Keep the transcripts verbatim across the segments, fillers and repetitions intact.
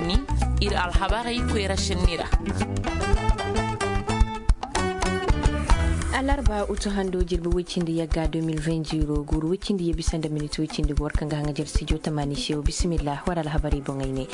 Ni ir alhabarey koyra senni ra. Alarba utu hando jirbi woy cindi yagga deux mille vingt zero guuru woy cindi ye bisa nda minit woy cindi go war kaŋ ga haŋajer sijo tamaani se wo bisimillah war alhabarey boŋey ne.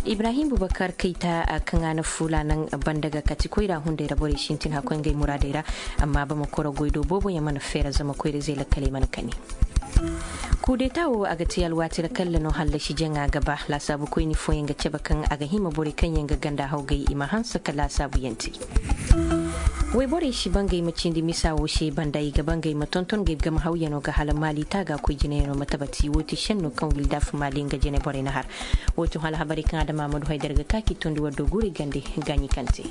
Ibrahim bubakar kayta kaŋ a na fuula naŋ banda ga kati koyra hunday ra borey sintin hakkoy ngey muraadey ra. Amma bama koro goy do boobo yaŋ mana feera zama koyra izey lakkaley mana kani. Kudeta wo a ga te alwaati ra kalla no hallasi jaŋa ga ba laasaabu koyni fooyaŋ ga cabe kaŋ a ga hima borey kaŋ yaŋ ga ganda hawgay i ma hanse ka laasaabu yaŋ te. Woyborey si ba ngey ma cindi misa wo se banda i ga ba ngey ma tonton ngey game hawyaŋo ga hala maali taaga koy jinayaŋo ma tabati wo ti senno kaŋ wildaf maali nga jine borey na har. Wo ti hala habarey kaŋ adama amadu haydar ga ka k'i tondi war do guurey gande gaaɲi kaŋ te.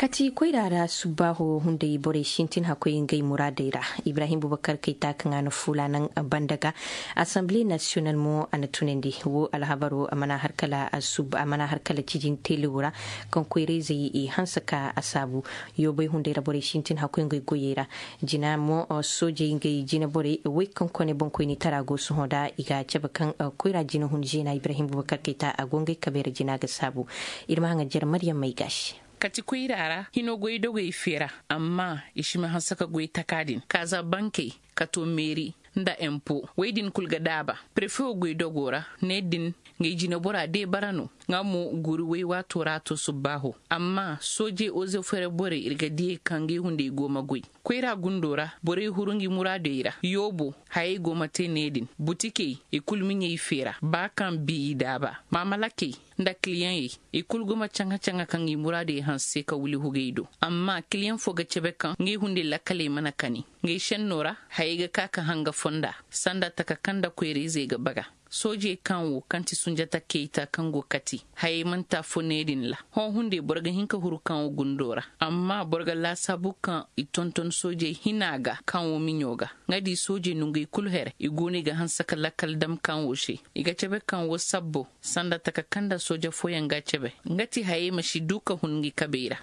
Kati koyra ra subbaaho hunday borey sintin hakkoy ngey muraadey ra. Ibrahim bubakar kayta kaŋ a na fuula naŋ banda ga. Assemblée nationale mo a na tunandi wo alhabaro a mana har kala cijin telewo ra. Kaŋ koyra izey i hanse ka a saabu. Yoobay hunday ra borey sintin hakkoy ngey goyey ra. Jina mo soojey ngey jina borey woy kaŋ kone boŋkoyni tara go sohõ da i ga a cabe kaŋ koyra jina hun zeena ibrahim bubakar kayta a go ngey kabey ra jina ga saabu. Ir ma haŋa jere maryam may ga se. Kati koyra ra hino goy dogey feera. Amma i si ma hanse ka goy taka din kaaza bankey, kato meeri, nda empo woy din kul ga daaba. Prefe wo goy dogo ra ne din. Ngey jinebora de bara no. Nga mo guri woy waato ra to subbaaho. Amma soojey ozefere borey ir ga diyey kaŋ ngey hunday go ma goy. Koyra gundo ra borey huru ngi muraadey ra yoobo. Hayey go ma te ne din butikey i kul miɲey feera ba kaŋ bi i daaba. Maamalakey nda kiliyaŋey i kul go ma caŋa-caŋa kaŋ i muraadey hanse ka wili hugey do. Amma kiliyaŋ fo ga cebe kaŋ ngey hunday lakkaley mana kani. Ngey senno ra hayey ga ka ka hanga fonda sanda taka kaŋ nda koyra-izey ga baga. Soojey kaŋ wo kaŋ ti sunjata keyta kaŋ go kati hayey mana te afo ne din ra. Hõ hunday boro ga hin ka huru kaŋ wo gundo ra. Amma boro ga laasaabu kaŋ i tonton soojey hina ga kaŋ wo miɲo ga. Nga di soojey nongey kul here i go no i ga hanse ka lakkal dam kaŋ wo se. I ga cebe kaŋ wo sabbo sanda taka kaŋ nda sooja fooyaŋ ga a cebe. Nga ti hayey ma si du ka hun ngi kabey ra.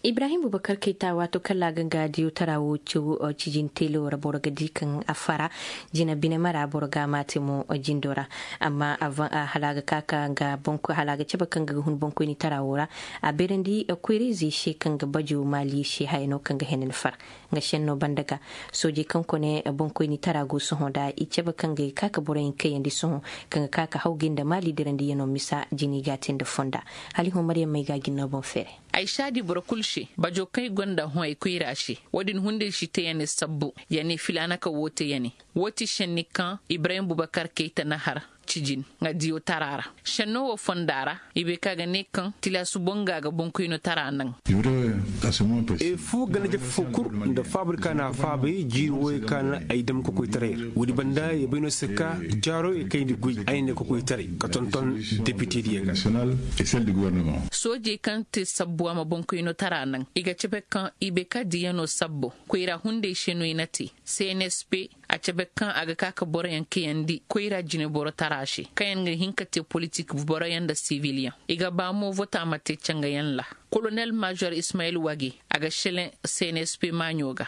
Ibrahim bubakar kayta waato kala ga nga diyo tara wo caw cijin tele wo ra boro ga di kaŋ a fara. Jina bine mara boro ga a maate mo jindo ra. Amma hala a ga ka ka nga hala a ga cabe kaŋ ga hun boŋkoyni tara wo ra. A beerandi koyra-izey se kaŋ ga bajo maali se haya no kaŋ ga hene ni fara. Nga senno banda ga soojey kaŋ kone boŋkoyni tara go sohõ nda i cabe kaŋ ga ka ka boroyaŋ kayandi sohõ. Kaŋ ga ka ka hawgay nda maali dirandiyaŋo misa jini ga a te nda fonda. Hala i hõ maryam may ga a jinno boŋ feere. Ay saadi boro kul se bajo kaŋ i gonda hõ ay koyra se. Wo-din hunday si te ya ne sabbu ya ne filaana ka woo te ya ne. Woo ti senni kaŋ ibrahim bubakar kayta na har cijin nga diyo tara ra. Senno woo fonda ra i bay ka ga ne kaŋ tilaasu boŋ ga a ga boŋkoyno tara naŋ. Efu ganaje fo kul nda faabari ka na a faabay jiiri wooyey ka na ay dam kokoytaray ra. Woodi banda ya bay no se ka jaaro ya kayndi goy ay ne kokoytaray ka tonton depitediyo ga. Soojey kaŋ te sabbu a ma boŋkoyno tara naŋ i ga cebe kaŋ i bay ka diyanoo sabbo koyra hunday se no i na te. Cnsp a cebe kaŋ a ga ka ka boroyaŋ kayandi koyra jineboro tara se kaŋ yaŋ ga hin ka te politik boroyaŋ nda sibiliyaŋ. I ga ba mo vota ma te cangayaŋ ra. Kolonel mažor ismayil wage a ga seleŋ cnsp maaɲo ga.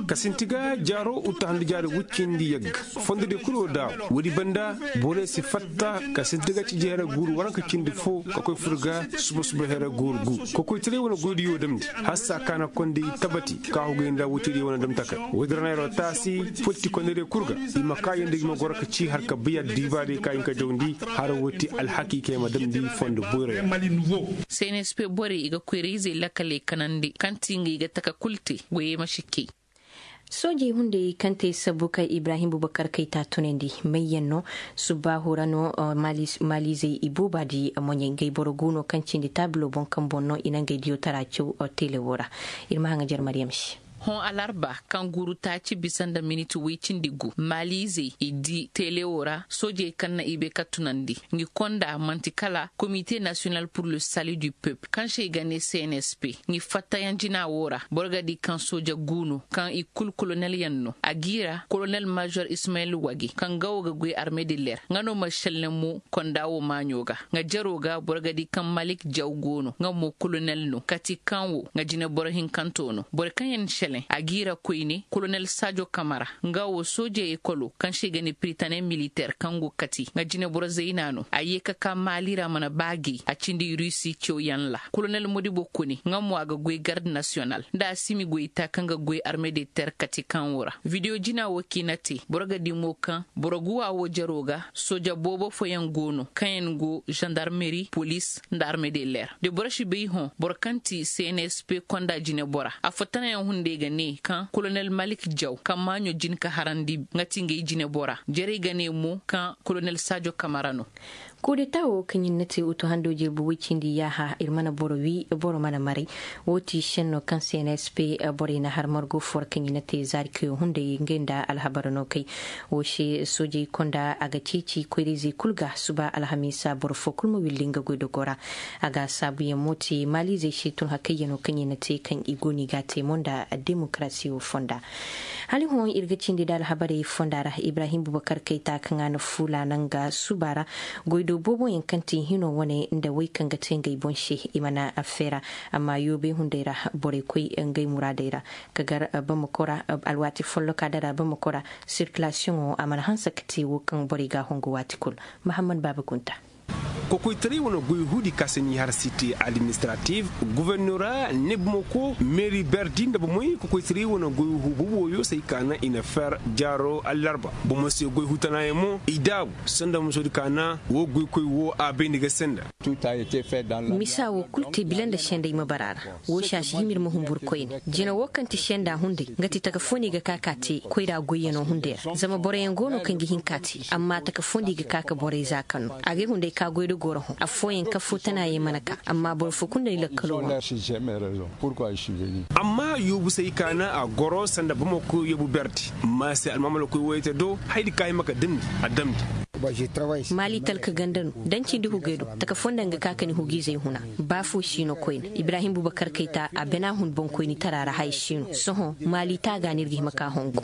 Ka sinti ga jaaro uta handi jaari wuccindi yagga. Fondodi kul wo daawo woodi banda borey si fatta ka sinti ga ciji here guuru waranka cindi fo ka koy fur ga suba suba here guuru gu. Kokoytaray wane goydiyo damndi hassa kaana kondi tabati ka hugay nda wuccidi wane damtakay. Woodi ra neero taasi fotti kondorey kul ga i ma kaayandi ga ma goro ka ci har ka biya diibaarey ka hin ka jawndi. Har woo ti alhakiikey ma damndi fondo boyroyaŋ. Cnsp borey i ga koyra-izey lakaley kanandi kaŋ ti ngey ga taka kul te. Goyey ma si kay. Soojey hunday kaŋ te sabbu kaŋ ibrahim bubakar kayta tunandi mayyaŋ no. Subbaahu ra no maalizey ibooba di moɲey ngey boro gu no kaŋ cindi taabilo boŋ kaŋ boŋ no i na ngey diyo tara caw. Tele wo ra ir ma haŋa jer maryam se. Hõ alarba kaŋ guuru taaci bisa nda miniti woy cindi gu maaliizey i di tele wo ra soojey kaŋ na i bay ka tunandi. Ngi konda man'ti kala komite nasiyonal pur le sali du peuple kaŋ se i ga ne cnsp. Ngi fattayaŋ jina wo ra boro ga di kaŋ sooja gu no kaŋ i kul kolonelyaŋ no a g'i ra kolonel mažor ismayil wage kaŋ ga wo ga goy arme de ler nga no ma šelle mo konda wo maaɲo ga. Nga jero ga boro ga di kaŋ malik jaw go no nga mo kolonel no kati kaŋ wo nga jineboro hinkanto no boro kaŋ yaŋ. A g'i ra koyne kolonel sajo kamara, nga wo sooje ekolo kaŋ se i ga ne piritaney militeer kaŋ go kati nga jineboro zayna no a ye ka ka maali ra mana ba gay a cindi rusi cawyaŋ ra. Kolonel modibo kone nga mo a ga goy garde nasiyonal nda a simi goy ita kaŋ ga goy arme de ter kati kaŋ wo ra. Videwo jina wo kaŋ i na te boro ga di mo kaŋ boro guwa wo jaro ga sooja boobo fooyaŋ go no kaŋ yaŋ go zandarmeri polis nda arme de leer de boro si bay hõ boro kaŋ ti cnsp konda jinebora. Afo tanayaŋ hunday ga ne kaŋ kolonel malik jaw kaŋ maaɲo jin ka harandi nga ti ngey jinebora jarey ga ne mo kaŋ kolonel saajo kamara no. Kuudeta wo kaŋ ɲin na te utu hando jirbi woy cindi yaaha ir mana boro wi boro mana maray. Wo ti senno kaŋ cnsp borey na har margo fo ra kaŋ ɲin na te zaari kayo hunday ngey nda alhabar no kay. Wo se soojey konda a ga ceeci koyra-izey kul ga suba alhamiisa boro fo kul ma willi nga goydogo ra. A ga saabuyaŋ mo te maaliizey se tun hakayyaŋo kaŋ i na te kaŋ i go no i ga a te mo nda demokarasi wo fonda. Hala hõ ir ga cindi nda alhabarey fonda ra ibrahim bubakar kayta kaŋ a na fuula naŋ ga suba ra. Goydo booboyaŋ kaŋ ti hino wane nda wey kaŋ ga te ngey boŋ se i mana feera. Amma yoobey hunday ra borey koy ngey muraadey ra ka gar bamako ra. Alwaati folloka dara bamako ra sirkilasiyoŋo a mana hanse ka te wo kaŋ borey ga a hongu waati kul. Mahammad baaba kunta. Kokoytaray wane goy huudi ka se ni har site administratif gubernora ne bamako meeri berdi nda bomey kokoytaray wane goy hu boboyo se ay ka na i na fer jaaro allarba. Bomo se goy hu tanaayaŋ mo i daabu sanda musoodi ka na wo goykoy wo a bay ni ga senda. Misa wo kul te bila nda sendey ma bara ra. Wo se a si hima ir ma humbur koyne jina wo kaŋ ti senda hunday nga ti taka fo no i ga ka ka te koyra goyyaŋo hunday ra zama boroyaŋ go no kaŋ ga hin ka te amma taka fo no i ga ka ka borey za kaŋ no a ga ay hunday ka goy da goro hõ affooyaŋ kaŋ fo tana yaŋ mana ka amma boro fo kulu nda ni lakkalo wane. Amma yoobu se ay ka na a goro sanda bamako yoobu berdi. Maase almaamalakoy woyey te do hayadi ka hima ka damndi a damndi. Maali talka ganda no da ni cindi hugey do taka fo nda nga ka ka ni hugiizey huna. Ba fo si no koyne ibrahim bubakar kayta a bana hun boŋkoynitara ra haya si no sohõ maali taaga no ir ga hima ka hongu.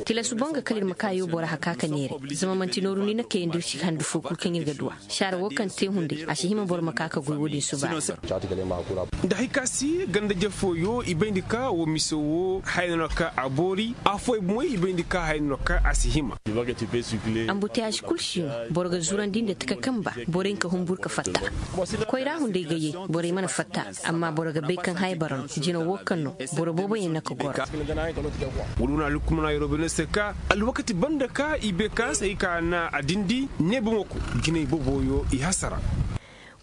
Tilasu boŋ ga kala ir ma ka yoobo ra haka ka neere zama man'ti nooru ni na kayandi ir si handu fo kul kaŋ ir ga duw'a. Saara wo kaŋ te hunday a si hima boro ma ka ka goy wo-din suba ra. Nda hay ka si ganda-je fooyo i bayndi ka wo mise wo haya no na ka a boori. Affooyaŋ bomoy i bayndi ka haya no na ka a si hima. Ambutiyaaz kul si no boro ga zurandi nda taka kamba boro hinka humbur ka fatta. Koyra hunday ga yee borey mana fatta. Amma boro ga bay kaŋ haya bara no jina wo kaŋ no boro booboyaŋ na ka goro. Wala wane alhukumana yeroo bay no se ka alwakati banda ka i bay ka se ay ka na a dindi ne bamako jinay booboyo i hasara.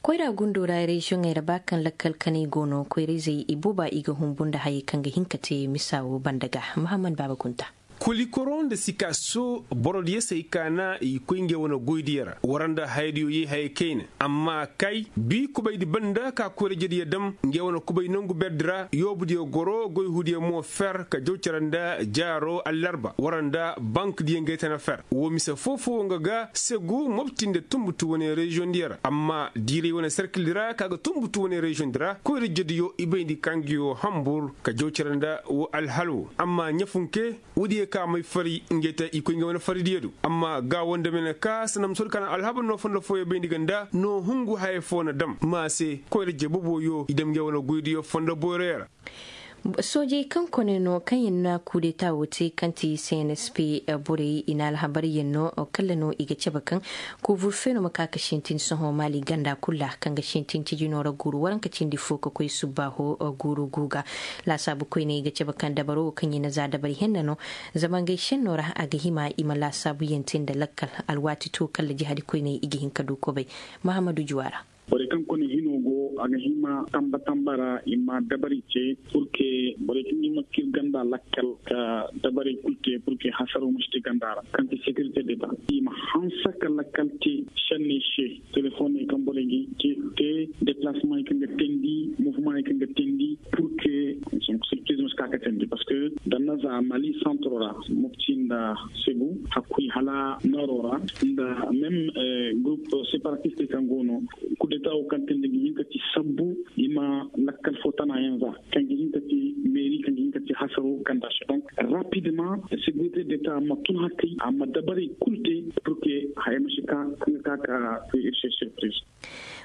Koyra gundo ra reziyoŋey ra ba kaŋ lakkal kanay go no koyra-izey i booba i ga humbu nda hayey kaŋ ga hin ka te misa wo banda ga. Mahammad baaba kunta. Kolikoro nda sikaso borodiyo se ay ka na i koy ngey wane goydiyo ra war nda hayadiyo ye hayey kayna. Amma kay bi kubaydi banda ka koyra-ijediyo dam ngey wane kubay nangu berdi ra yoobudiyo goro goy huudiyo mo fer ka jaw cere nda jaaro allarba war nda bankdiyo ngey tana fer wo mise foo-foo nga ga segu mopti nda tunbutu wane reziyoŋdiyo ra amma diiray wane serkildi ra ka ga tunbutu wane reziyoŋdi ra koyra-ijediyo i bayndi ka ngiyo hambur ka jaw cere nda wo alhal wo amma ɲafunke. Woodiyo ka may fari ngey te i koy ngey wane faridiyo do amma ga woo nda mene ka sanda ma soodi ka na alhabar no fondo fooyo bayndi ga nda no hungu haya foo na dam ma se koyra-ije boboyo i dam ngey wane goydiyo fondo boyroyo ra. Soojey kaŋ kone no kaŋ yaŋ na kuudeta wo te kaŋ ti cnsp borey i na alhabaryaŋ no kalla no i ga cabe kaŋ kuubur feeno ma ka ka sintin sohõ maali ganda kul ra kaŋ ga sintin cijino ra guuru waranka cindi fo ka koy subbaaho guuru gu ga. Laasaabu koyney i ga cabe kaŋ dabaro wo kaŋ i na za dabari henna no. Zama ngey senno ra a ga hima i ma laasaabuyaŋ te nda lakkal alwaati to kalla jihadi koyney i ga hin ka du kobay. Mahammadu juwa ra. Borey kaŋ kone hino go a ga hima tamba tamba ra i ma dabari te purke borey kaŋ ga hima kir ganda lakkal ka dabarey kul te purke hasaro ma si te ganda ra kaŋ ti sekirite deta i ma hanse ka lakkal te senney se. Telefoney kaŋ borey ga te deplasemaney kaŋ ga teendi mofumaney kaŋ ga teendi purke sirpiriz ma si ka ka teendi parceque da na za mali santro ra mopti nda segu hakkuy hala nooro ra nda meme gurup separatistey kaŋ go no. Kudeta wo kaŋ teendi ga hin ka ti sabbu i ma lakkal fo tanayaŋ za kaŋ ga hin ka ti meeri kaŋ ga hin ka ti hasaro ganda se donc Rapidement, sécurité d'état ma tun hakkay a ma dabaray kul te, pour que haya ma si ka kaŋ ga ka ka ir se surprise.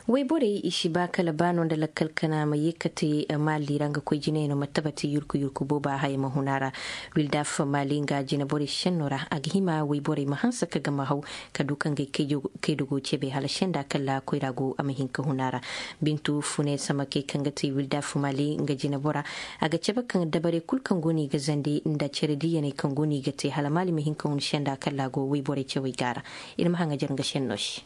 Wayborey i si ba kala ba no nda lakkal kana ma ye kate maali ra nga koy jinayano ma tabati yurku yurku booba haya ma hun a ra. Wildaf maali nga jineborey senno ra a ga hima wayborey ma hanse ka gama haw ka du ka ngey kaydogo cebe hala senda kala koyra go a ma hin ka hun a ra. Bintu fune samakey kaŋ ga te wildaf maali nga jinebora a ga cabe kaŋ dabarey kul kaŋ go no i ga zandi nda cere diyaney kaŋ go no i ga te hala maali ma hin ka hun senda kala go wayborey cawey ga a ra. Ir ma haŋajar nga senno se.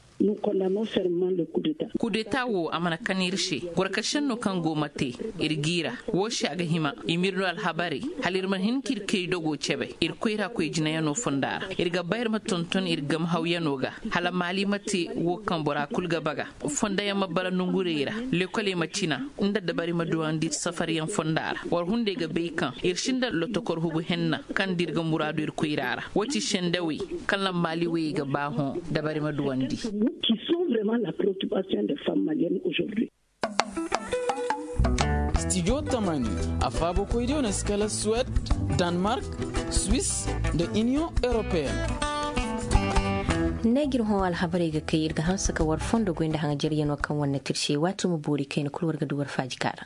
Kudeta wo a mana kan ir se. Gorkasenno kaŋ go ma te ir g'i ra. Wo se a ga hima i m'ir no alhabarey hala ir ma hin k'ir kay dogo cebe ir koyra koy jinayano fonda ra. Ir ga ba ir ma tonton ir gam hawyano ga hala maali ma te wo kaŋ bora kul ga baga. Fondayaŋ ma bara nongurey ra. Lekoley ma cina nda dabari ma duwandi safaryaŋ fonda ra war hunday ga bay kaŋ ir sinda lotokor hugu henna kaŋ da ir ga muraadu ir koyra ra. Wo ti sendawey kaŋ lammaali wayey ga ba hõ dabari ma duwandi. Studio tamani a faabokoydiyo na si kala suwed, danmark, swis, nda iniyoŋ europeen. Ne gir hõ alhabarey ga kay ir ga hanse ka war fondo goy nda haŋajaryanoo kaŋ war na tirse waati ma boori kayna kul war ga du war faaji kaara.